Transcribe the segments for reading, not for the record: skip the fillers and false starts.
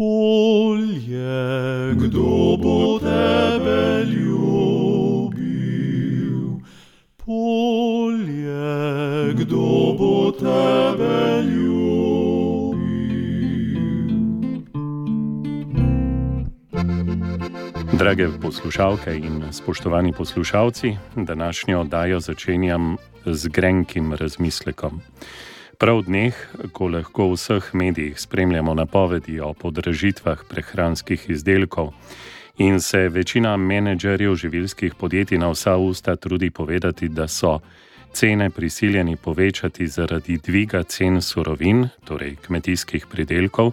Polje, kdo bo tebe ljubil? Polje, kdo bo tebe ljubil? Drage poslušalke in spoštovani poslušalci, današnjo oddajo začenjam z grenkim razmislekom. Prav v dneh, ko lahko v vseh medijih spremljamo napovedi o podražitvah prehranskih izdelkov in se večina menedžerjev živilskih podjetij na vsa usta trudi povedati, da so cene prisiljeni povečati zaradi dviga cen surovin, torej kmetijskih pridelkov,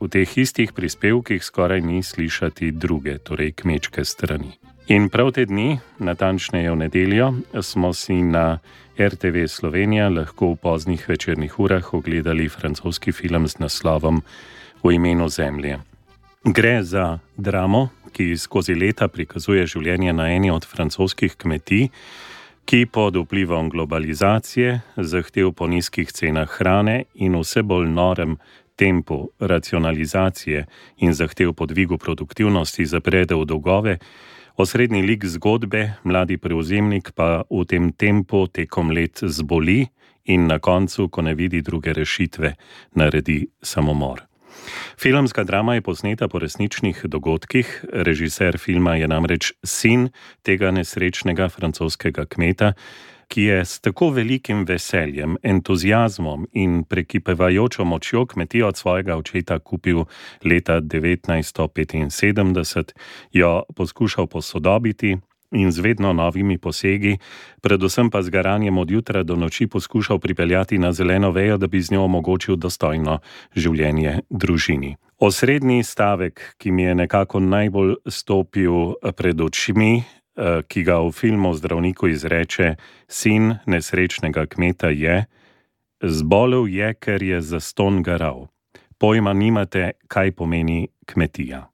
v teh istih prispevkih skoraj ni slišati druge, torej kmečke strani. In prav te dni, natančneje v nedeljo, smo si na RTV Slovenija lahko v poznih večernih urah ogledali francoski film z naslovom V imenu zemlje. Gre za dramo, ki skozi leta prikazuje življenje na eni od francoskih kmetij, ki pod vplivom globalizacije, zahtev po nizkih cenah hrane in vse bolj norem tempu racionalizacije in zahtev po dvigu produktivnosti zaprede v dolgove, osrednji lik zgodbe, mladi prevzemnik, pa v tem tempu tekom let zboli in na koncu, ko ne vidi druge rešitve, naredi samomor. Filmska drama je posneta po resničnih dogodkih, režiser filma je namreč sin tega nesrečnega francoskega kmeta, ki je s tako velikim veseljem, entuziazmom in prekipevajočo močjo kmetijo od svojega očeta kupil leta 1975, jo poskušal posodobiti in z vedno novimi posegi, predvsem pa z garanjem od jutra do noči poskušal pripeljati na zeleno vejo, da bi z njo omogočil dostojno življenje družini. Osrednji stavek, ki mi je nekako najbolj stopil pred očmi, ki ga v filmu zdravniku izreče sin nesrečnega kmeta, je: zbolel je, ker je zastonj garal. Pojma nimate, kaj pomeni kmetija.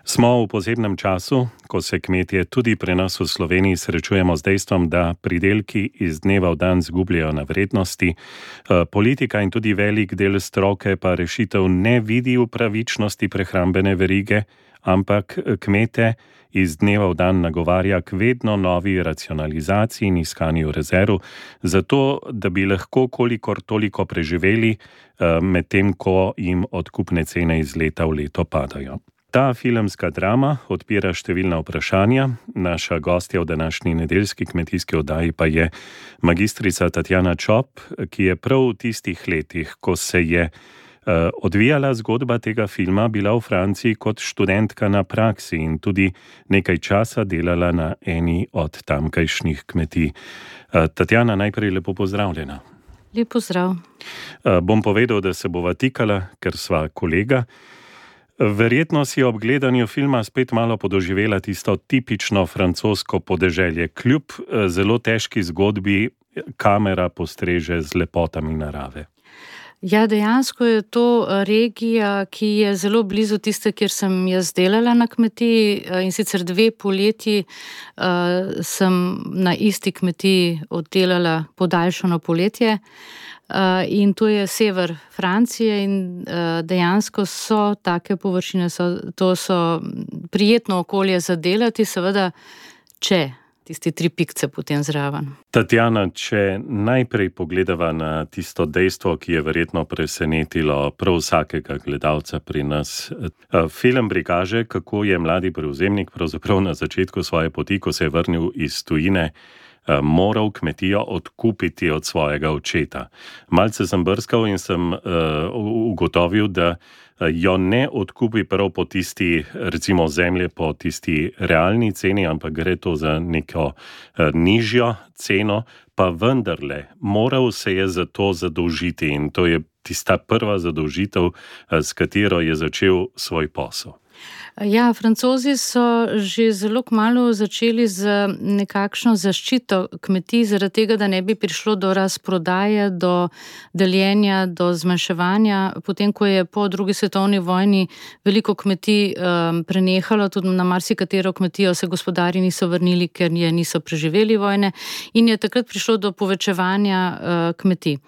Smo v posebnem času, ko se kmetje tudi pri nas v Sloveniji srečujemo z dejstvom, da pridelki iz dneva v dan zgubljajo na vrednosti, politika in tudi velik del stroke pa rešitev ne vidi v pravičnosti prehrambene verige, ampak kmete iz dneva v dan nagovarja k vedno novi racionalizaciji in iskanju rezerv, zato da bi lahko kolikor toliko preživeli, medtem ko jim odkupne cene iz leta v leto padajo. Ta filmska drama odpira številna vprašanja. Naša gostja v današnji nedeljski kmetijski oddaji pa je magistrica Tatjana Čop, ki je prav v tistih letih, ko se je odvijala zgodba tega filma, bila v Franciji kot študentka na praksi in tudi nekaj časa delala na eni od tamkajšnjih kmetij. Tatjana, najprej lepo pozdravljena. Lep pozdrav. Bom povedal, da se bova tikala, ker sva kolega. Verjetno si ob gledanju filma spet malo podoživela tisto tipično francosko podeželje. Kljub zelo težki zgodbi kamera postreže z lepotami narave. Ja, dejansko je to regija, ki je zelo blizu tiste, kjer sem jaz delala na kmetiji, in sicer 2 poletji sem na isti kmetiji oddelala podaljšano poletje. In to je sever Francije in dejansko so take površine, to so prijetno okolje za delati, seveda, če tisti 3 pikce potem zraven. Tatjana, če najprej pogledava na tisto dejstvo, ki je verjetno presenetilo prav vsakega gledalca pri nas. Film prikaže, kako je mladi prevzemnik pravzaprav na začetku svoje poti, ko se je vrnil iz tujine, moral kmetijo odkupiti od svojega očeta. Malce sem brskal in sem ugotovil, da jo ne odkupi prav po tisti, recimo zemlje po tisti realni ceni, ampak gre to za neko nižjo ceno, pa vendarle moral se je za to zadolžiti in to je tista prva zadolžitev, s katero je začel svoj posel. Ja, Francozi so že zelo kmalu začeli z nekakšno zaščito kmetij, zaradi tega, da ne bi prišlo do razprodaje, do deljenja, do zmanjševanja. Potem, ko je po drugi svetovni vojni veliko kmetij prenehalo, tudi na marsikatero kmetijo se gospodarji niso vrnili, ker je niso preživeli vojne in je takrat prišlo do povečevanja kmetij.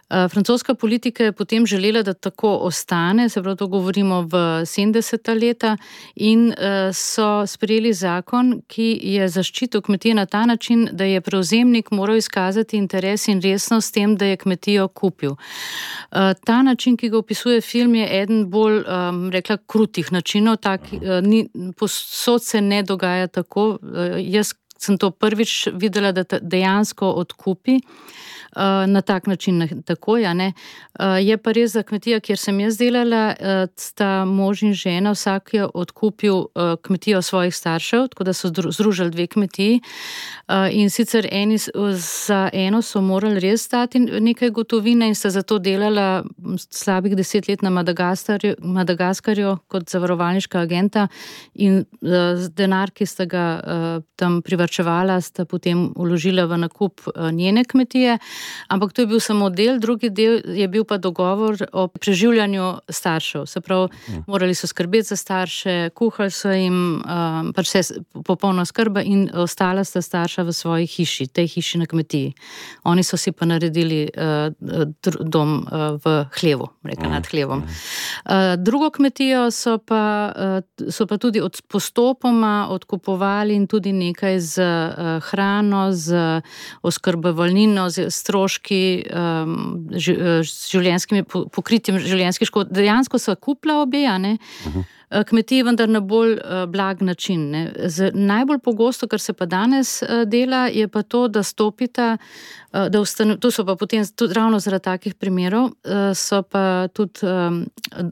Francoska politika je potem želela, da tako ostane, se pravi, to govorimo v 70. leta in so sprejeli zakon, ki je zaščitil kmetije na ta način, da je prevzemnik moral izkazati interes in resnost s tem, da je kmetijo kupil. Ta način, ki ga opisuje film, je eden bolj, rekla, krutih načinov, posod se ne dogaja tako. Jaz sem to prvič videla, da dejansko odkupi na tak način takoj, ne. Je pa res za kmetija, kjer sem jaz delala, sta mož in žena, vsak je odkupil kmetijo svojih staršev, tako da so združili 2 kmetiji in sicer za eno so morali res dati nekaj gotovine in sta zato delala slabih 10 let na Madagaskarju kot zavarovalniška agenta in denar, ki sta ga tam privarčevala, sta potem vložila v nakup njene kmetije. Ampak to je bil samo del, drugi del je bil pa dogovor o preživljanju staršev. Se pravi, morali so skrbeti za starše, kuhali so jim, pač vse popolna skrba in ostala sta starša v svoji hiši, tej hiši na kmetiji. Oni so si pa naredili dom v hlevu, rekla nad hlevom. Drugo kmetijo so pa tudi postopoma odkupovali in tudi nekaj z hrano, z oskrbovalnino, z stroški, življenjskimi pokritjem življenjskih škod. Dejansko so kupila obe, ne? Kmetiji, vendar na bolj blag način. Ne? Najbolj pogosto, kar se pa danes dela, je pa to, da stopita, to so pa potem tudi ravno zaradi takih primerov, so pa tudi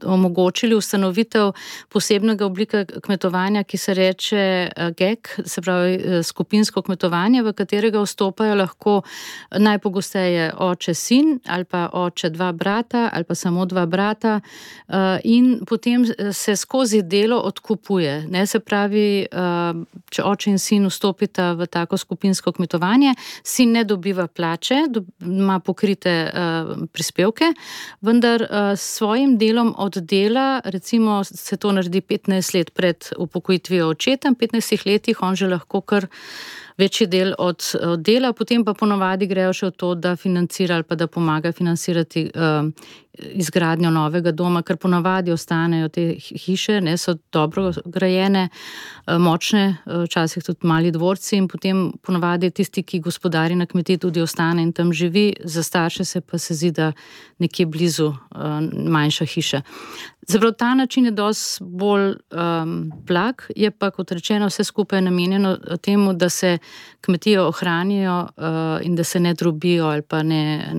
omogočili ustanovitev posebnega oblika kmetovanja, ki se reče GEK, se pravi skupinsko kmetovanje, v katerega vstopajo lahko najpogosteje oče, sin, ali pa oče, 2 brata, ali pa samo 2 brata in potem se skozi delo odkupuje. Ne, se pravi, če oče in sin vstopita v tako skupinsko kmetovanje, sin ne dobiva plače, ima pokrite prispevke, vendar s svojim delom od dela, recimo se to naredi 15 let pred upokojitvijo očeta, v 15 letih on že lahko kar večji del od dela, potem pa ponovadi grejo še v to, da financira ali pa da pomaga financirati izgradnjo novega doma, ker ponovadi ostanejo te hiše, ne, so dobro grajene, močne, včasih tudi mali dvorci in potem ponovadi tisti, ki gospodari na kmetiji, tudi ostane in tam živi, za starše se pa se zdi, da nekje blizu manjša hiša. Zaprav ta način je dosti bolj blag, je pa, kot rečeno, vse skupaj namenjeno temu, da se kmetijo ohranijo in da se ne drobijo ali pa ne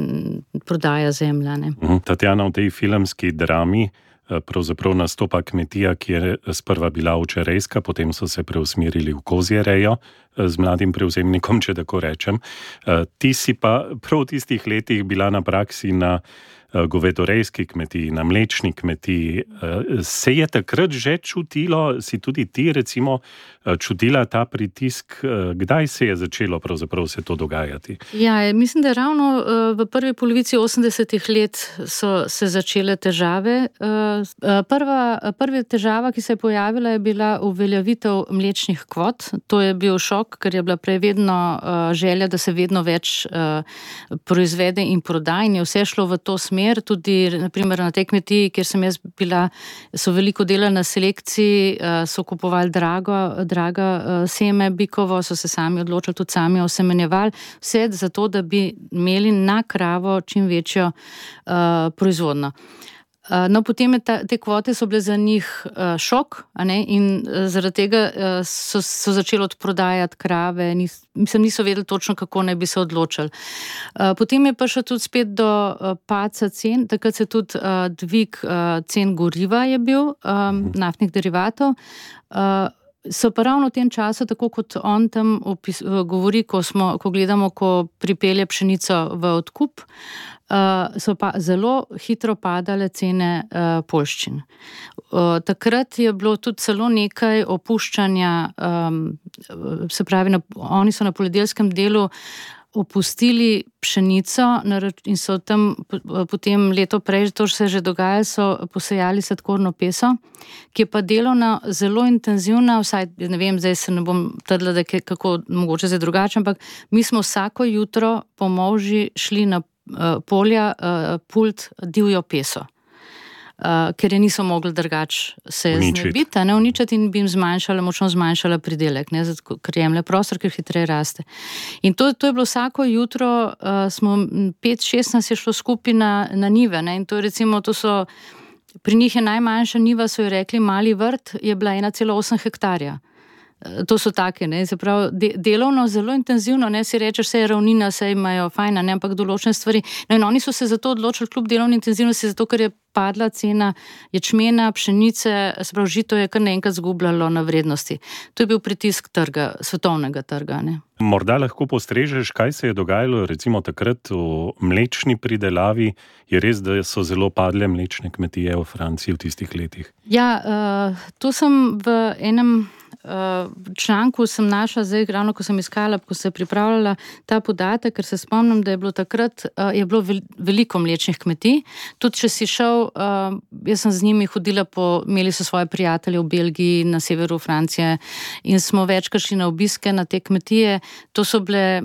prodaja zemlja. Ne. Tatjana, v tej filmski drami pravzaprav nastopa kmetija, ki je sprva bila ovčerejska, potem so se preusmerili v kozjerejo z mladim prevzemnikom, če tako rečem. Ti si pa prav v tistih letih bila na praksi na govedorejski kmetiji, na mlečni kmetiji. Se je takrat že čutilo, si tudi ti recimo čutila ta pritisk? Kdaj se je začelo pravzaprav se to dogajati? Ja, mislim, da ravno v prvi polovici 80-ih let so se začele težave. Prva težava, ki se je pojavila, je bila uveljavitev mlečnih kvot. To je bil šok, ker je bila prej vedno želja, da se vedno več proizvede in proda in je vse šlo v to smer. Tudi naprimer na tej kmetiji, kjer sem jaz bila, so veliko delali na selekciji, so kupovali draga seme bikovo, so se sami odločili, tudi sami osemenjevali, vse zato, da bi imeli na kravo čim večjo proizvodno. No, potem te kvote so bile za njih šok, ne, in zaradi tega so začeli odprodajati krave, niso vedeli točno, kako naj bi se odločili. Potem je prišlo tudi spet do padca cen, takrat se tudi dvig cen goriva je bil, naftnih derivatov. So pa ravno v tem času, tako kot on tam govori, ko gledamo, ko pripelje pšenico v odkup, so pa zelo hitro padale cene poljščin. Takrat je bilo tudi celo nekaj opuščanja, se pravi, oni so na poljedeljskem delu opustili pšenico in so tam potem leto prej, to se že dogaja, so posejali sladkorno peso, ki je pa delovno zelo intenzivna, vsaj ne vem, zdaj se ne bom trdila, da je kako mogoče zdaj drugače, ampak mi smo vsako jutro po molži šli na polja pult divjo peso. Ker je niso mogli drugače se znebiti, uničiti in bi jim močno zmanjšala pridelek, ker jemlje prostor, ker hitreje raste. In to je bilo vsako jutro, smo 5-6 nas je šlo skupaj na njive, in to je recimo, pri njih je najmanjša njiva, so jo rekli mali vrt, je bila 1,8 hektarja. To so take, se pravi, delovno zelo intenzivno, si rečeš, vse je ravnina, vse imajo fajna, ampak določene stvari. In oni so se zato odločili kljub delovni intenzivnosti, zato ker je padla cena ječmena, pšenice, se pravi, žito je kar naenkrat zgubljalo na vrednosti. To je bil pritisk trga, svetovnega trga. Morda lahko postrežeš, kaj se je dogajalo recimo takrat v mlečni pridelavi. Je res, da so zelo padle mlečne kmetije v Franciji v tistih letih? Ja, to sem v enem članku sem našla, zdaj ravno ko sem iskala, ko se je pripravljala ta podatek, ker se spomnim, da je bilo takrat je bilo veliko mlečnih kmetij. Tudi če si šel, jaz sem z njimi hodila imeli so svoje prijatelje v Belgiji, na severu Francije in smo večkrat šli na obiske na te kmetije. To so bile,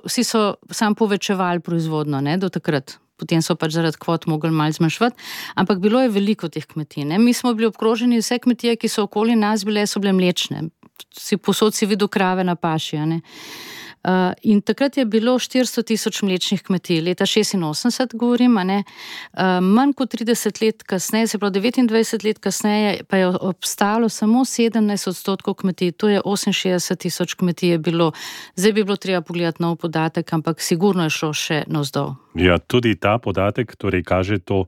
vsi so sam povečevali proizvodno, do takrat. Potem so pač zaradi kvot mogli malo zmanjšati, ampak bilo je veliko teh kmetij. Mi smo bili obkroženi, vse kmetije, ki so okoli nas bile, so bile mlečne. Posod si videl krave na paši. In takrat je bilo 400,000 mlečnih kmetij, leta 86 govorim, manj kot 30 let kasneje, se pravi 29 let kasneje, pa je obstalo samo 17% kmetij, to je 68,000 kmetij je bilo. Zdaj bi bilo treba pogledati nov podatek, ampak sigurno je šlo še navzdol. Ja, tudi ta podatek torej kaže to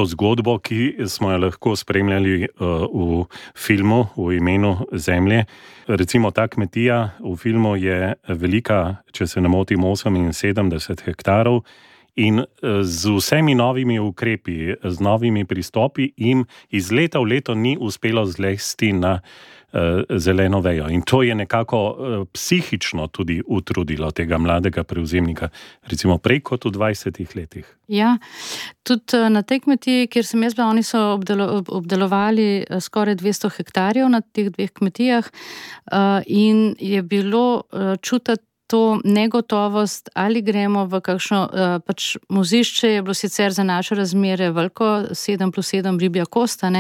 zgodbo, ki smo jo lahko spremljali v filmu V imenu zemlje. Recimo ta kmetija v filmu je velika, če se ne motim, 78 hektarov in z vsemi novimi ukrepi, z novimi pristopi jim iz leta v leto ni uspelo zlesti na zeleno vejo. In to je nekako psihično tudi utrudilo tega mladega prevzemnika, recimo prej kot v 20 letih. Ja, tudi na tej kmetiji, kjer sem jaz bila, oni so obdelovali skoraj 200 hektarjev na teh dveh kmetijah in je bilo čutiti to negotovost, ali gremo v kakšno mozišče, je bilo sicer za naše razmere veliko, 7+7 ribja kosta,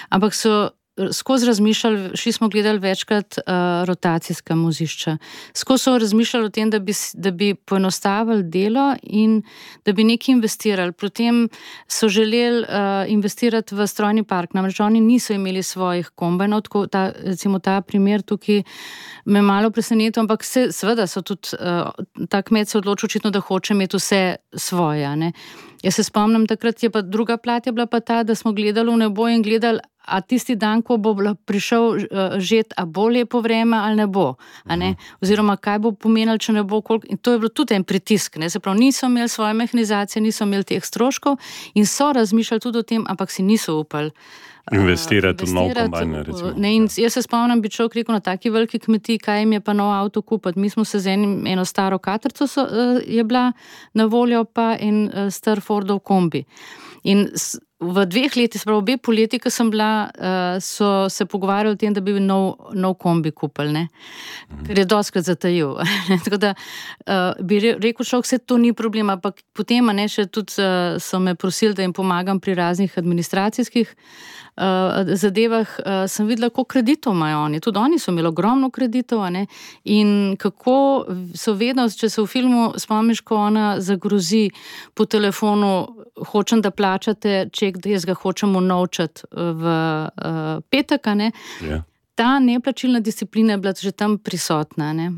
ampak so skozi razmišljali, šli smo gledali večkrat rotacijska mozišča. Skozi so razmišljali o tem, da bi poenostavili delo in da bi nekaj investirali. Potem so želeli investirati v strojni park, namreč oni niso imeli svojih kombajnov, recimo ta primer tukaj me malo presenetil, ampak seveda so tudi ta kmet se odločil očitno, da hoče imeti vse svoje. Jaz se spomnim, takrat je pa druga plat je bila pa ta, da smo gledali v nebo in gledali, a tisti dan, ko bo prišel žet, a bo lepo vreme ali ne bo, oziroma kaj bo pomenilo, če ne bo, koliko. In to je bilo tudi en pritisk, se pravi, niso imeli svoje mehanizacije, niso imeli teh stroškov in so razmišljali tudi o tem, ampak si niso upali investirati v nov kombajn, recimo. In jaz se spomnim, bi človek rekel na taki veliki kmetiji, kaj jim je pa nov avto kupiti. Mi smo se z eno staro katrco je bila na voljo, pa en star Fordov kombi. In v 2 letih, se pravi obe poleti, ko sem bila, so se pogovarjali o tem, da bi nov kombi kupili, ker je dostkrat zatajil. Tako da bi rekel človek, vse to ni problem, ampak potem še tudi so me prosili, da jim pomagam pri raznih administracijskih zadevah, sem videla, koliko kreditov imajo oni. Tudi oni so imeli ogromno kreditov, in kako so vedno, če se v filmu spomniš, ko ona zagrozi po telefonu, hočem, da plačate ček, da jaz ga hočem unovčati v petek, Ja. Ta neplačilna disciplina je bila že tam prisotna,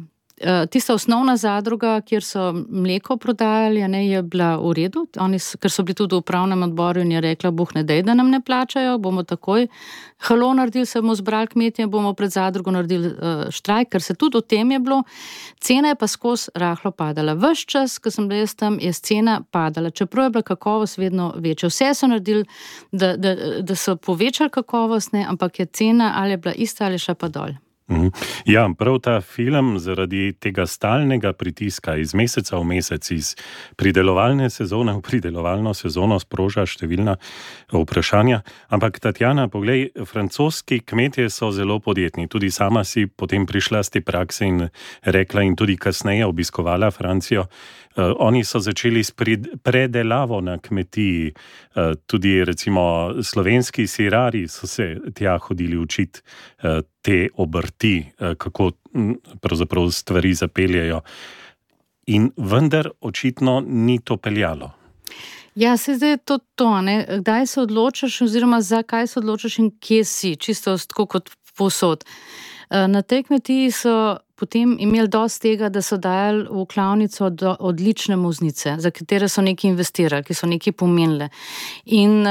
Tista osnovna zadruga, kjer so mleko prodajali, je bila v redu, ker so bili tudi v upravnem odboru in je rekla, Bog ne dej, da nam ne plačajo, bomo takoj halo naredili, se bomo zbrali kmetje, bomo pred zadrugo naredili štrajk, ker se tudi o tem je bilo. Cena je pa skozi rahlo padala. Ves čas, ko sem bila jaz tam, je cena padala, čeprav je bila kakovost vedno večja. Vse so naredili, da so povečali kakovost, ampak je cena ali je bila ista ali še pa dol. Ja, prav ta film zaradi tega stalnega pritiska iz meseca v mesec, iz pridelovalne sezone v pridelovalno sezono sproža številna vprašanja. Ampak Tatjana, poglej, francoski kmetje so zelo podjetni. Tudi sama si potem prišla z te prakse in rekla in tudi kasneje obiskovala Francijo. Oni so začeli s predelavo na kmetiji. Tudi recimo slovenski sirari so se tja hodili učiti te obrti, kako pravzaprav stvari zapeljejo. In vendar očitno ni to peljalo. Ja, se zdaj je to, kdaj se odločaš oziroma zakaj se odločaš in kje si, čisto tako kot povsod. Na tej kmetiji so potem imeli dosti tega, da so dajali v klavnico odlične muznice, za katere so nekaj investirali, ki so nekaj pomenile. In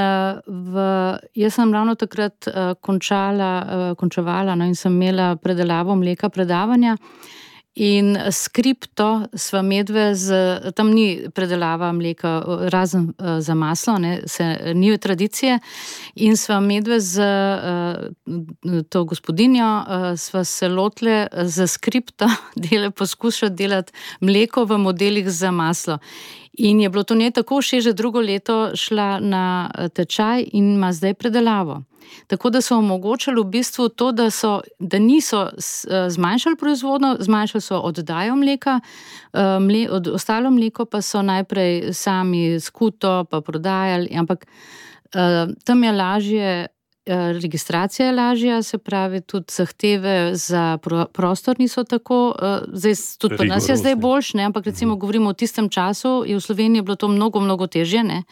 jaz sem ravno takrat končevala in sem imela predelavo mleka predavanja. In skripto sva medve tam ni predelava mleka, razen za maslo, ni tradicije, in sva medve to gospodinjo, sva se lotile za skripto poskušati delati mleko v modelih za maslo. In je bilo to njej tako všeč, že drugo leto šla na tečaj in ima zdaj predelavo. Tako da so omogočali v bistvu to, da niso zmanjšali proizvodnjo, zmanjšali so oddajo mleka, ostalo mleko pa so najprej sami skuto pa prodajali, ampak tam je lažje, registracija je lažja, se pravi tudi zahteve za prostor niso tako, zdaj tudi pri nas je zdaj boljše, ampak recimo govorimo o tistem času, je v Sloveniji bilo to mnogo, mnogo težje,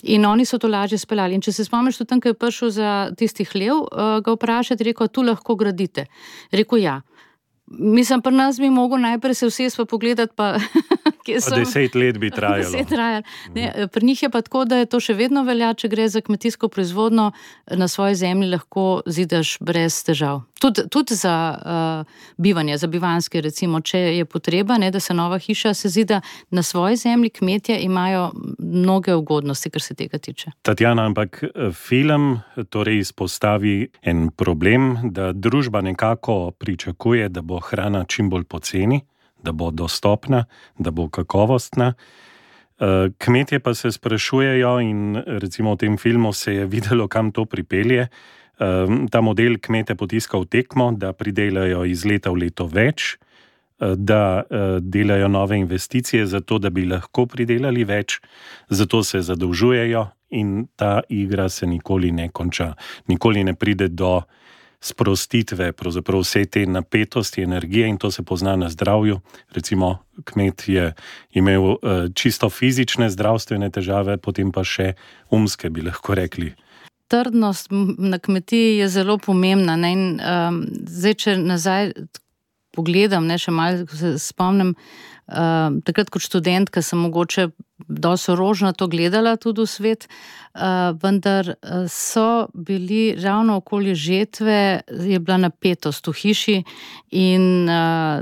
In oni so to lažje speljali. In če se spomniš, tudi tam, ko je prišel za tisti hlev, ga vprašati, rekel, tu lahko gradite. Rekel, ja. Mislim, pri nas bi mogel najprej se vsesti pa pogledati, pa kje so. 10 let bi trajalo. 10 trajalo. Pri njih je pa tako, da je to še vedno velja, če gre za kmetijsko proizvodno, na svoji zemlji lahko zidaš brez težav. Tudi za bivanje, za bivanjske, recimo, če je potreba, da se nova hiša se zida na svoji zemlji, kmetje imajo mnoge ugodnosti, kar se tega tiče. Tatjana, ampak film torej izpostavi en problem, da družba nekako pričakuje, da bo hrana čim bolj poceni, da bo dostopna, da bo kakovostna. Kmetje pa se sprašujejo in recimo v tem filmu se je videlo, kam to pripelje. Ta model kmete potiska v tekmo, da pridelajo iz leta v leto več, da delajo nove investicije zato, da bi lahko pridelali več, zato se zadolžujejo in ta igra se nikoli ne konča. Nikoli ne pride do sprostitve, pravzaprav vse te napetosti, energije in to se pozna na zdravju. Recimo kmet je imel čisto fizične zdravstvene težave, potem pa še umske, bi lahko rekli. Trdnost na kmetiji je zelo pomembna. In zdaj, če nazaj pogledam, še malo se spomnim, takrat kot študentka sem mogoče dosti rožnato gledala tudi v svet, vendar so bili ravno okoli žetve, je bila napetost v hiši in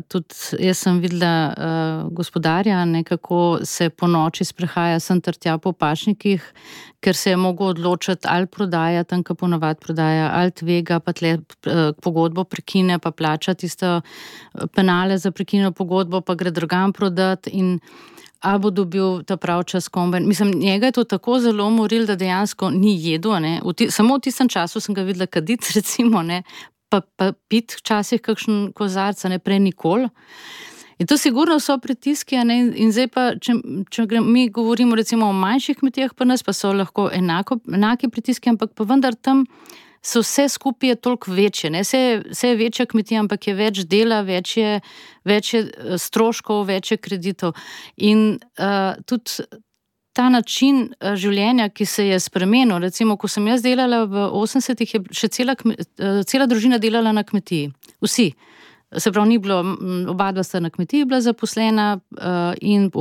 tudi jaz sem videla gospodarja, kako se po noči sprehaja sem ter tja po pašnikih, ker se je mogel odločiti ali prodaja, tam ko ponavad prodaja, ali tvega, pa tle pogodbo prekine, pa plača tisto penale za prekinjeno pogodbo, pa gre drugam prodati in ali bo dobil ta prav čas kombajn. Mislim, njega je to tako zelo umoril, da dejansko ni jedel. Samo v tistem času sem ga videla kaditi, recimo, pa pit včasih kakšen kozarc, prej nikoli. In to sigurno so pritiski, in zdaj pa, če mi govorimo recimo o manjših kmetijah, pa nas pa so lahko enaki pritiski, ampak pa vendar tam so vse skupaj toliko večje. Vse je večja kmetija, ampak je več dela, več je stroškov, več je kreditov. In tudi ta način življenja, ki se je spremenil, recimo, ko sem jaz delala v 80-ih, je še cela družina delala na kmetiji. Vsi. se pravi, ni bilo, oba dva sta na kmetiji bila zaposlena in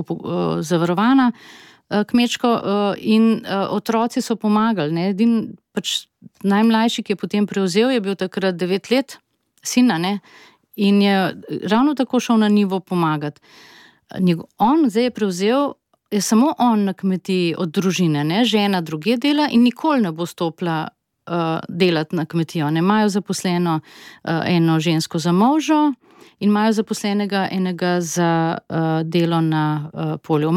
zavarovana kmečko in otroci so pomagali. Ne? Edin pač najmlajši, ki je potem prevzel, je bil takrat 9 let, sina, ne? In je ravno tako šel na njivo pomagati. On zdaj je prevzel, je samo on na kmetiji od družine, ne? Žena druge dela in nikoli ne bo stopila delati na kmetijo. Ne imajo zaposleno eno žensko za možo in imajo zaposlenega enega za delo na polju.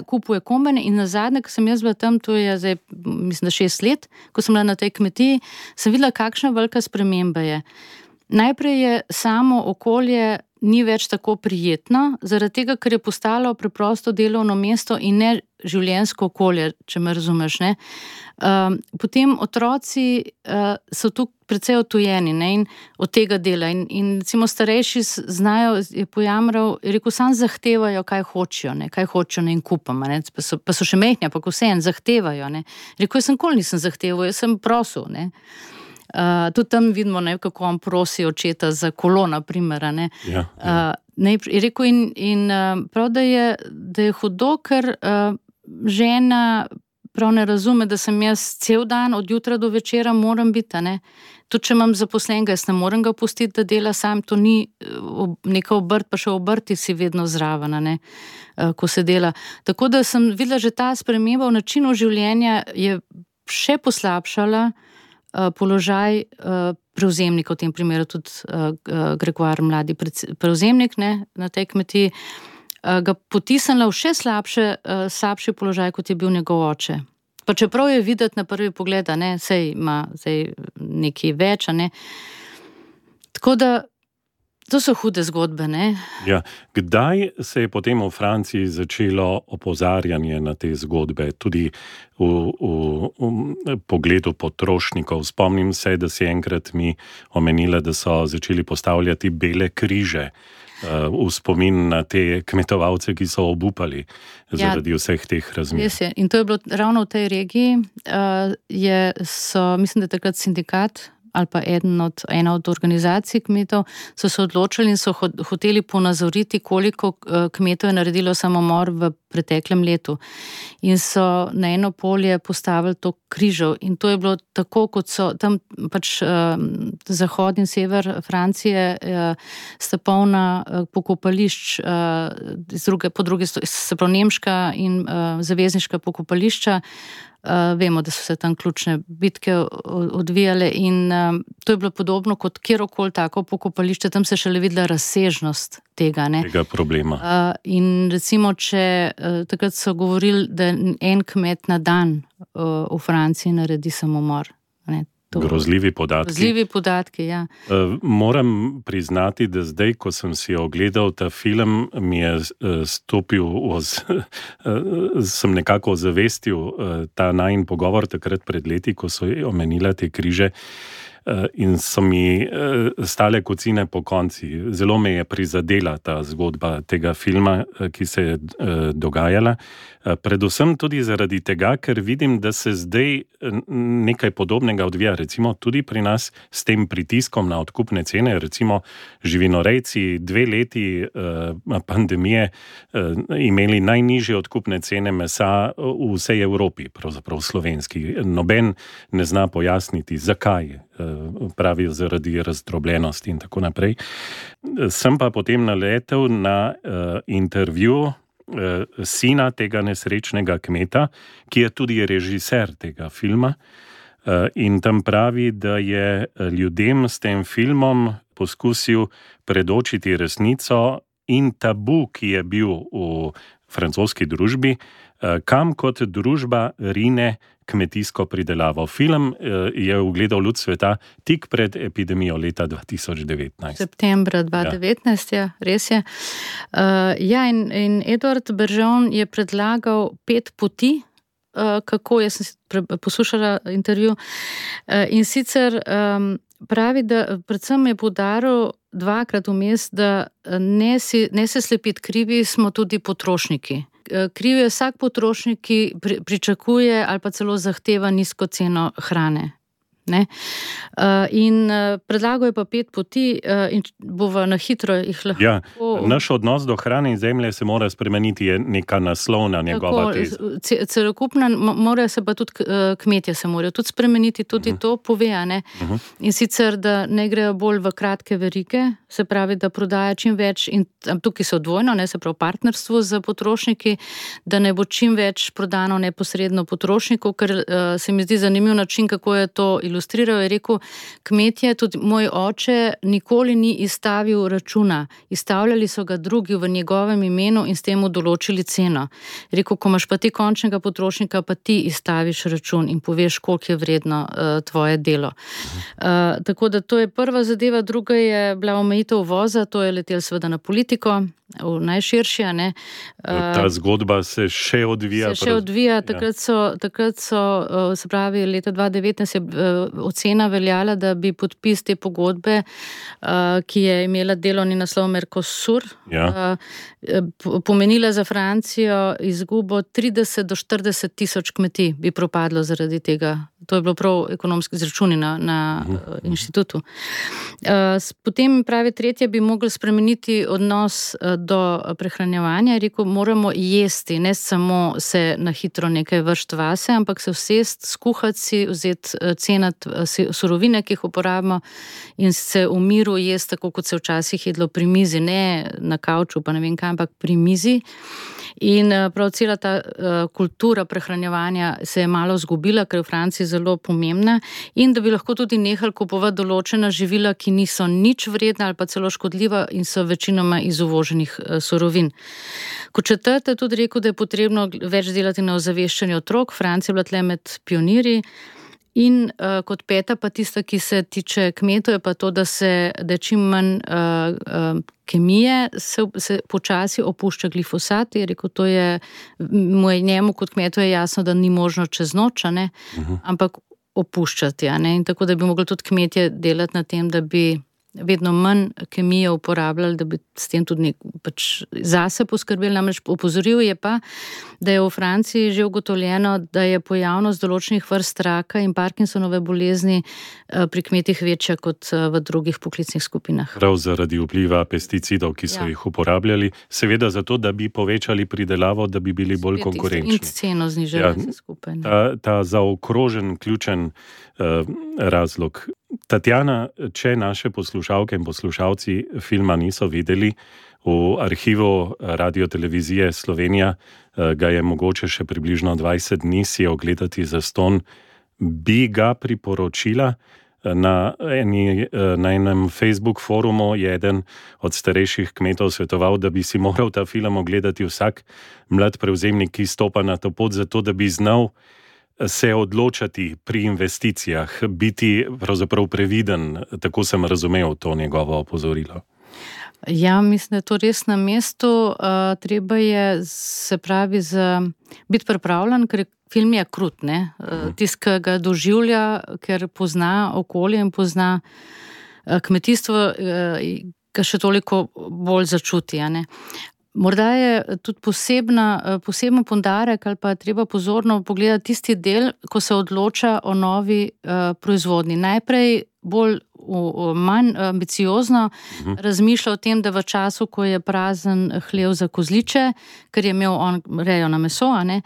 Kupuje kombajne in nazadnje, ko sem jaz bila tam, to je zdaj, mislim, da 6 let, ko sem bila na tej kmetiji, sem videla, kakšna velika sprememba je. Najprej je samo okolje ni več tako prijetno, zaradi tega, ker je postalo preprosto delovno mesto in ne življenjsko okolje, če me razumeš, ne. Potem otroci so tu precej odtujeni, ne, in od tega dela in recimo starejši znajo, je pojamral, je rekel, sam zahtevajo, kaj hočejo, ne, in kupam, ne, pa so še mehni, pa vseeno zahtevajo, ne. Rekel, jaz sem nikoli nisem zahteval, jaz sem prosil, ne. Tudi tam vidimo, ne, kako on prosi očeta za kolo, na primer, ne. Ja. Je rekel in prav, da je hudo, ker žena prav ne razume, da sem jaz cel dan od jutra do večera moram biti, ne. Tudi če imam zaposlenega, jaz ne morem ga pustiti, da dela sam, to ni neka obrt, pa še obrti si vedno zraven, ne, ko se dela. Tako da sem videla, že ta sprememba v načinu življenja je še poslabšala položaj prevzemnika, v tem primeru tudi Gregoar, mladi prevzemnik, ne, na tej kmetiji, ga potisnila v še slabši položaj, kot je bil njegov oče. Pa čeprav je videti na prvi pogled, ne, sej ima nekaj več, ne. Tako da to so hude zgodbe, ne. Ja. Kdaj se je potem v Franciji začelo opozarjanje na te zgodbe, tudi v pogledu potrošnikov? Spomnim se, da si enkrat mi omenila, da so začeli postavljati bele križe v spomin na te kmetovalce, ki so obupali zaradi vseh teh razmer. Res je. In to je bilo ravno v tej regiji, mislim, da takrat sindikat ali pa ena od organizacij kmetov so se odločili in so hoteli ponazoriti, koliko kmetov je naredilo samomor v preteklem letu. In so na eno polje postavili to križev in to je bilo tako, kot so tam pač zahod in sever Francije sta polna pokopališč, po drugi se pravi nemška in zavezniška pokopališča. Vemo, da so se tam ključne bitke odvijale in to je bilo podobno kot kjerokoli tako pokopališče, tam se šele videla razsežnost tega, ne. Tega problema. In recimo, takrat so govorili, da en kmet na dan v Franciji naredi samomor, ne. Grozljivi podatki. Grozljivi podatki, ja. Moram priznati, da zdaj, ko sem si ogledal ta film, mi je sem nekako ozavestil ta najin pogovor takrat pred leti, ko so omenila te križe in so mi stale kocine po konci. Zelo me je prizadela ta zgodba tega filma, ki se je dogajala. Predvsem tudi zaradi tega, ker vidim, da se zdaj nekaj podobnega odvija, recimo tudi pri nas s tem pritiskom na odkupne cene, recimo živinorejci 2 leti pandemije imeli najnižje odkupne cene mesa v vsej Evropi, pravzaprav slovenski. Noben ne zna pojasniti, zakaj. Pravijo zaradi razdrobljenosti in tako naprej. Sem pa potem naletel na intervju sina tega nesrečnega kmeta, ki je tudi režiser tega filma, in tam pravi, da je ljudem s tem filmom poskusil predočiti resnico in tabu, ki je bil v francoski družbi, kam kot družba rine kmetijsko pridelavo. Film je ugledal luč sveta tik pred epidemijo leta 2019. Septembra 2019, ja, res je. In Edward Bergeon je predlagal 5 poti, kako, jaz sem poslušala intervju, in sicer pravi, da predvsem je poudaril 2-krat vmes, da ne se slepiti, krivi smo tudi potrošniki. Kriv je vsak potrošnik, ki pričakuje ali pa celo zahteva nizko ceno hrane. Ne? In predlagal je pa 5 poti in bova na hitro jih lahko... Ja, naš odnos do hrane in zemlje se mora spremeniti, je neka naslovna njegova teza. Celokupna, morajo se pa tudi kmetje se morajo tudi spremeniti, tudi to pove, ne? In sicer, da ne grejo bolj v kratke verige, se pravi, da prodaja čim več, in tukaj so dvojno, ne, se pravi partnerstvo z potrošniki, da ne bo čim več prodano neposredno potrošnikov, ker se mi zdi zanimiv način, kako je to ilustriral. Je rekel, kmetje, tudi moj oče nikoli ni izstavil računa, izstavljali so ga drugi v njegovem imenu in s tem določili ceno. Je rekel, ko imaš pa ti končnega potrošnika, pa ti izstaviš račun in poveš, koliko je vredno tvoje delo. Tako da to je prva zadeva, druga je bila omejitev uvoza, to je letel seveda na politiko, v najširši, ne. Ta zgodba se še odvija. Takrat so, se pravi, leta 2019 je ocena veljala, da bi podpis te pogodbe, ki je imela delovni naslov Mercosur, pomenila za Francijo izgubo 30 do 40 tisoč kmetij bi propadlo zaradi tega. To je bilo prav ekonomski izračuni na inštitutu. Potem pravi tretje, bi mogli spremeniti odnos do prehranjevanja. Rekel, moramo jesti, ne samo se na hitro nekaj vršt vase, ampak se vsest, skuhati si, vzeti cenat surovine, ki jih uporabimo in se v miru jesti, tako kot se včasih jedlo pri mizi, ne na kavču, pa ne vem kaj, ampak pri mizi. In prav cela ta kultura prehranjevanja se je malo zgubila, ker je v Franciji zelo pomembna, in da bi lahko tudi nehali kupovati določena živila, ki niso nič vredna ali pa celo škodljiva in so večinoma iz uvoženih surovin. Kot četrte tudi rekel, da je potrebno več delati na ozaveščanju otrok. Francija je bila tle med pionirji. In kot peta pa tista, ki se tiče kmetov, je pa to, da je čim manj kemije, se počasi opušča glifosat. Je rekel, to je njemu kot kmetu je jasno, da ni možno čez noč, ne, ampak opuščati, ne, in tako da bi mogli tudi kmetje delati na tem, da bi vedno manj kemije uporabljali, da bi s tem tudi pač zase poskrbeli. Namreč opozoril je pa, da je v Franciji že ugotovljeno, da je pojavnost določenih vrst raka in Parkinsonove bolezni pri kmetih večja kot v drugih poklicnih skupinah. Prav zaradi vpliva pesticidov, ki so jih uporabljali, seveda zato, da bi povečali pridelavo, da bi bili bolj konkurenčni. In ceno znižali vse skupaj. Ta zaokrožen, ključen razlog. Tatjana, če naše poslušalke in poslušalci filma niso videli, v arhivu Radiotelevizije Slovenija ga je mogoče še približno 20 dni si ogledati zastonj. Bi ga priporočila? Na enem Facebook forumu je eden od starejših kmetov svetoval, da bi si moral ta film ogledati vsak mlad prevzemnik, ki stopa na to pot, zato da bi znal se odločati pri investicijah, biti pravzaprav previden, tako sem razumel to njegovo opozorilo. Ja, mislim, da je to res na mestu. Treba je, se pravi, biti pripravljen, ker film je krut, ne. Tist, ki ga doživlja, ker pozna okolje in pozna kmetijstvo, ga še toliko bolj začuti, ne. Morda je tudi poseben poudarek ali pa treba pozorno pogledati tisti del, ko se odloča o novi proizvodnji. Najprej bolj manj ambiciozno razmišlja o tem, da v času, ko je prazen hlev za kozliče, ker je imel on rejo na meso, ne,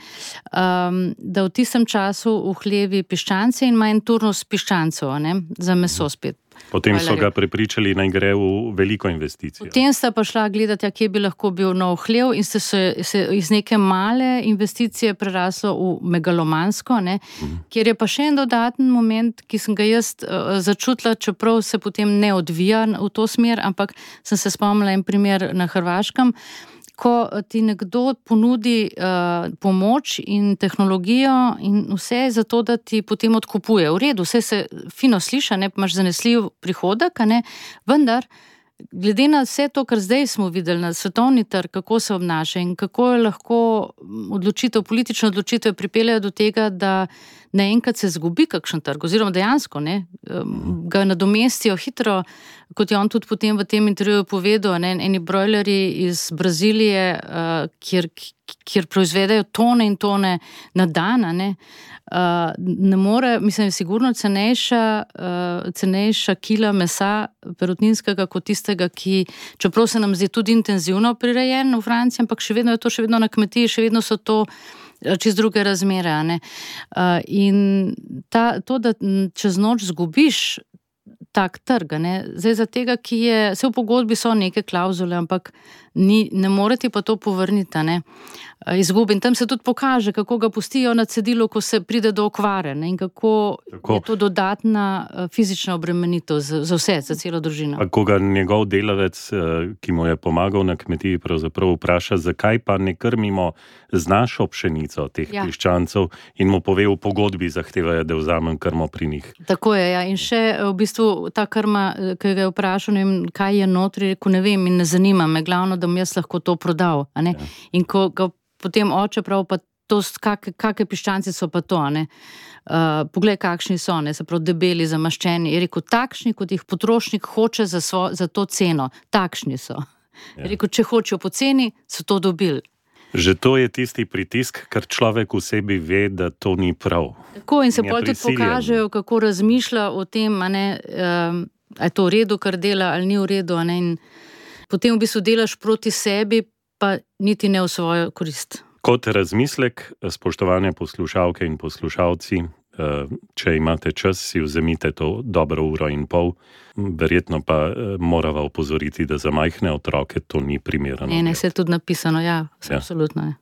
da v tistem času v hlevi piščance in manj turnus piščancov, ne, za meso spet. Potem so ga prepričali, naj gre v veliko investicijo. Potem sta pa šla gledati, kje bi lahko bil nov hlev, in se iz neke male investicije preraslo v megalomansko, ne, kjer je pa še en dodaten moment, ki sem ga jaz začutila, čeprav se potem ne odvija v to smer, ampak sem se spomnila en primer na Hrvaškem, ko ti nekdo ponudi pomoč in tehnologijo in vse za to, da ti potem odkupuje. V redu, vse se fino sliša, ne, imaš zanesljiv prihodek, ne, vendar glede na vse to, kar zdaj smo videli na svetovni trg, kako se obnaša in kako je lahko politične odločitve pripeljejo do tega, da naenkrat se zgubi kakšen trg, oziroma dejansko, ne, ga nadomestijo hitro, kot je on tudi potem v tem intervjuju povedal, eni brojlerji iz Brazilije, kjer proizvedajo tone in tone na dan, ne more, mislim, sigurno cenejša kila mesa perutninskega kot tistega, ki, čeprav se nam zdi tudi intenzivno prirejen v Franciji, ampak še vedno je to še vedno na kmetiji, še vedno so to čez druge razmere. In to, da čez noč zgubiš tak trg, zdaj za tega, ki je, vse v pogodbi so neke klavzule, ampak ne morete pa to povrniti, izgubi. In tam se tudi pokaže, kako ga pustijo na cedilu, ko se pride do okvare, in kako je to dodatna fizična obremenitev za vse, za celo družino. A ko ga njegov delavec, ki mu je pomagal na kmetiji, pravzaprav vpraša, zakaj pa ne krmimo z našo pšenico teh piščancev, in mu pove, v pogodbi zahtevajo, da vzamem krmo pri njih. Tako je, In še v bistvu ta krma, ki ga je vprašal, ne vem, kaj je notri, rekel, ne vem in ne zanima me, glavno, da bom jaz lahko to prodal. In ko ga potem oče prav, pa to, kakve piščanci so pa to, poglej, kakšni so, se pravi debeli, zamaščeni. Je rekel, takšni, kot jih potrošnik hoče za to ceno, takšni so. Je rekel, če hočejo po ceni, so to dobili. Že to je tisti pritisk, ker človek v sebi ve, da to ni prav. Tako, in se potem tudi pokažejo, kako razmišlja o tem, a je to v redu, kar dela, ali ni v redu, in potem v bistvu delaš proti sebi, pa niti ne v svojo korist. Kot razmislek, spoštovane poslušalke in poslušalci, če imate čas, si vzemite to dobro 1,5 ure, verjetno pa morava opozoriti, da za majhne otroke to ni primerno. Ne, se je tudi napisano, absolutno je.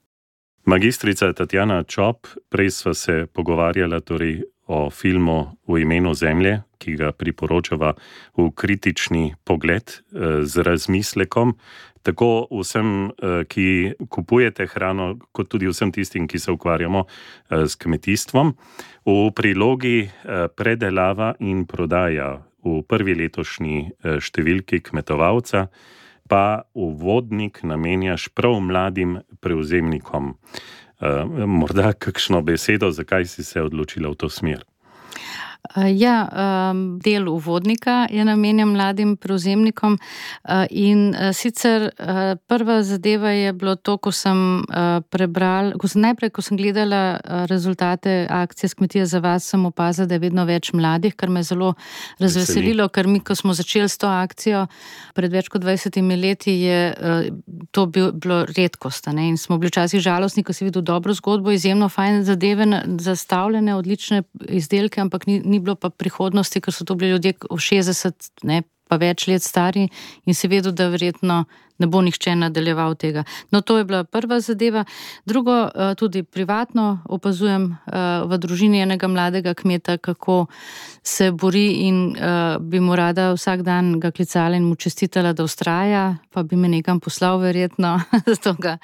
Magistrica Tatjana Čop, prej sva se pogovarjala torej o filmu V imenu zemlje, ki ga priporočava v kritični pogled z razmislekom, tako vsem, ki kupujete hrano, kot tudi vsem tistim, ki se ukvarjamo s kmetijstvom. V prilogi predelava in prodaja v prvi letošnji številki Kmetovalca pa uvodnik namenjaš prav mladim prevzemnikom. Morda kakšno besedo, zakaj si se odločila v to smer? Del uvodnika je namenjen mladim prevzemnikom in sicer prva zadeva je bilo to, ko sem prebrala, ko sem gledala rezultate akcije S kmetije za vas, sem opazila, da je vedno več mladih, kar me zelo razveselilo, ker mi, ko smo začeli s to akcijo pred več kot 20 leti, je to bilo redkost, in smo bili včasih žalostni, ko si videl dobro zgodbo, izjemno fajn zadeve zastavljene, odlične izdelke, ampak ni bilo pa prihodnosti, ker so to bili ljudje v 60, pa več let stari in si vedel, da verjetno ne bo nihče nadaljeval tega. No, to je bila prva zadeva. Drugo, tudi privatno opazujem v družini enega mladega kmeta, kako se bori in bi mu rada vsak dan ga klicala in mu čestitala, da vztraja, pa bi me nekam poslal verjetno, zato ga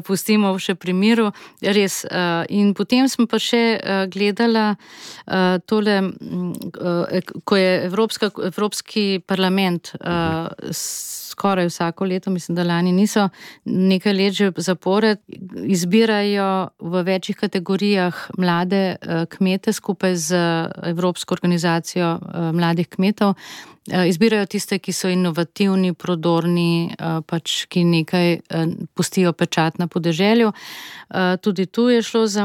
pustimo še pri miru. Res. In potem smo pa še gledala tole, ko je Evropski parlament skoraj vsako leto, mislim, da lani niso, nekaj let že zapored, izbirajo v večjih kategorijah mlade kmete skupaj z Evropsko organizacijo mladih kmetov. Izbirajo tiste, ki so inovativni, prodorni, ki nekaj pustijo pečat na podeželju. Tudi tu je šlo za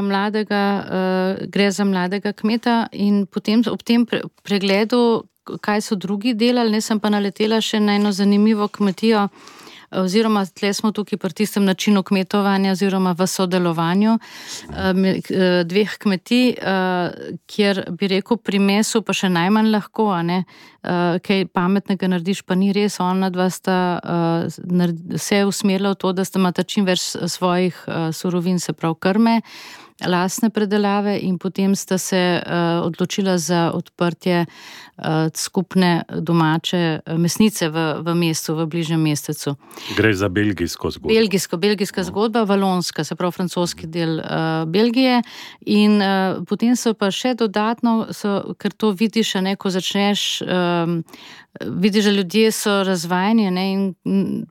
gre za mladega kmeta in potem ob tem pregledu, kaj so drugi delali, sem pa naletela še na eno zanimivo kmetijo, oziroma tle smo tukaj pri tistem načinu kmetovanja oziroma v sodelovanju dveh kmetij, kjer bi rekel pri mesu pa še najmanj lahko, kaj pametnega narediš, pa ni res, ona dva sta vse usmerila v to, da sta imata čim več svojih surovin, se pravi krme, lastne predelave in potem sta se odločila za odprtje skupne domače mesnice v mestu, v bližnjem mestecu. Gre za belgijsko zgodbo. Belgijska zgodba, valonska, se pravi francoski del Belgije in potem so pa še dodatno, ker to vidiš, ko začneš, vidiš, da ljudje so razvajeni in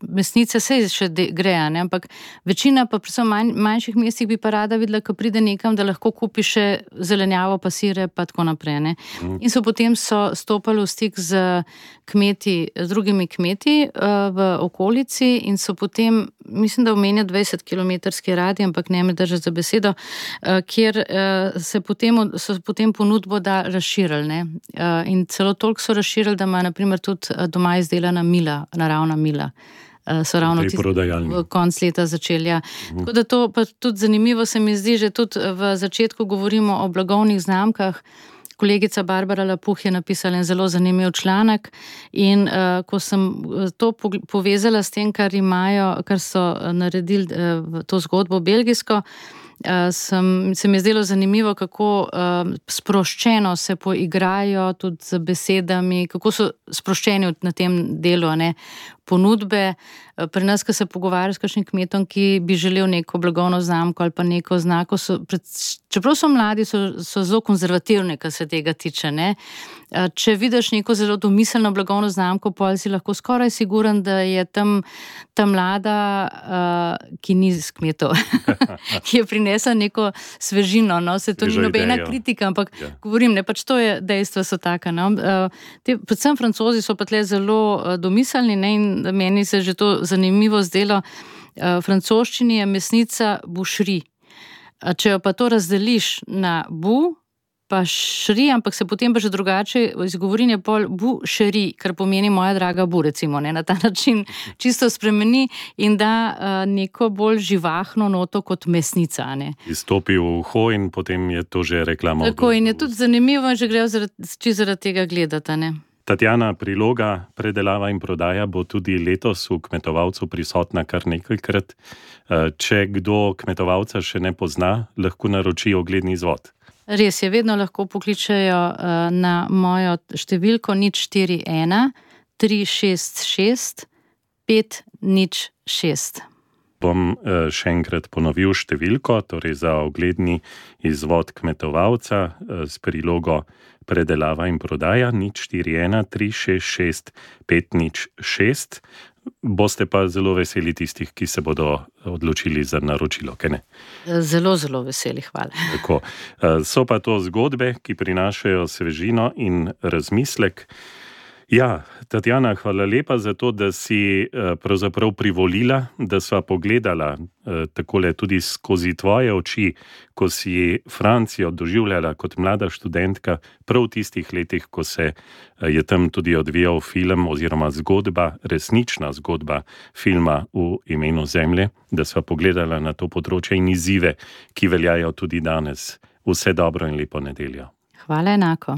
mesnice se še gre, ampak večina pa predvsem manjših mestih bi pa rada videla, ko pride pride nekam, da lahko kupi še zelenjavo, pasire, pa tako naprej. Ne. In potem so stopali v stik z drugimi kmeti v okolici in so potem, mislim, da omenja 20-kilometrski radij, ampak ne me držati za besedo, kjer so potem ponudbo razširili. Ne. In celo toliko so razširili, da ima na primer tudi doma izdelana mila, naravna mila. So ravno konc leta začeli. Ja. Tako da to pa tudi zanimivo se mi zdi, že tudi v začetku govorimo o blagovnih znamkah. Kolegica Barbara Lapuh je napisala en zelo zanimiv članek in ko sem to povezala s tem, kar so naredili to zgodbo belgijsko, se mi je zdelo zanimivo, kako sproščeno se poigrajo tudi z besedami, kako so sproščeni na tem delu, ne, ponudbe. Pri nas, ko se pogovarjajo s kakšnim kmetom, ki bi želel neko blagovno znamko ali pa neko znako, čeprav so mladi, so zelo konzervativni, kar se tega tiče. Ne. Če vidiš neko zelo domiselno blagovno znamko, potem si lahko skoraj siguren, da je tam ta mlada, ki ni z kmetov, ki je prinesla neko svežino. No. Se to ni nobena kritika, ampak govorim, ne, pač to je dejstva so taka. No. Predvsem Francozi so pa tle zelo domiselni, ne, in meni se že to zanimivo zdelo. V francoščini je mesnica boucherie. Če jo pa to razdeliš na bu, pa šri, ampak se potem pa že drugače izgovori je pol boucherie, kar pomeni moja draga bu, recimo, ne, na ta način čisto spremeni in da neko bolj živahno noto kot mesnica. Ne. Izstopi v uho in potem je to že reklama. Tako in je tudi zanimivo in že grejo zaradi tega gledati. Ne. Tatjana, priloga Predelava in prodaja bo tudi letos v Kmetovalcu prisotna kar nekajkrat. Če kdo Kmetovalca še ne pozna, lahko naroči ogledni izvod. Res je, vedno lahko pokličejo na mojo številko 041 366 506. Bom še enkrat ponovil številko, torej za ogledni izvod Kmetovalca s prilogo Predelava in prodaja 041 366 506. Boste pa zelo veseli tistih, ki se bodo odločili za naročilo, kaj ne? Zelo, zelo veseli, hvala. Tako. So pa to zgodbe, ki prinašajo svežino in razmislek. Ja, Tatjana, hvala lepa za to, da si pravzaprav privolila, da sva pogledala takole tudi skozi tvoje oči, ko si Francijo doživljala kot mlada študentka, prav v tistih letih, ko se je tam tudi odvijal film oziroma zgodba, resnična zgodba filma V imenu zemlje, da sva pogledala na to področje in izzive, ki veljajo tudi danes. Vse dobro in lepo nedeljo. Hvala enako.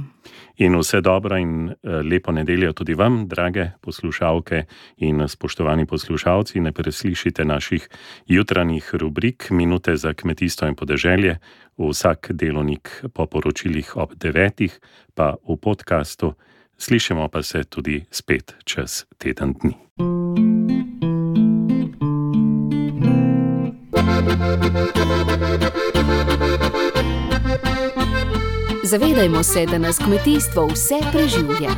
In vse dobro in lepo nedeljo tudi vam, drage poslušalke in spoštovani poslušalci. Ne preslišite naših jutranjih rubrik Minute za kmetijstvo in podeželje, vsak delovnik po poročilih ob 9, pa v podkastu. Slišimo pa se tudi spet čez teden dni. Zavedajmo se, da nas kmetijstvo vse preživlja.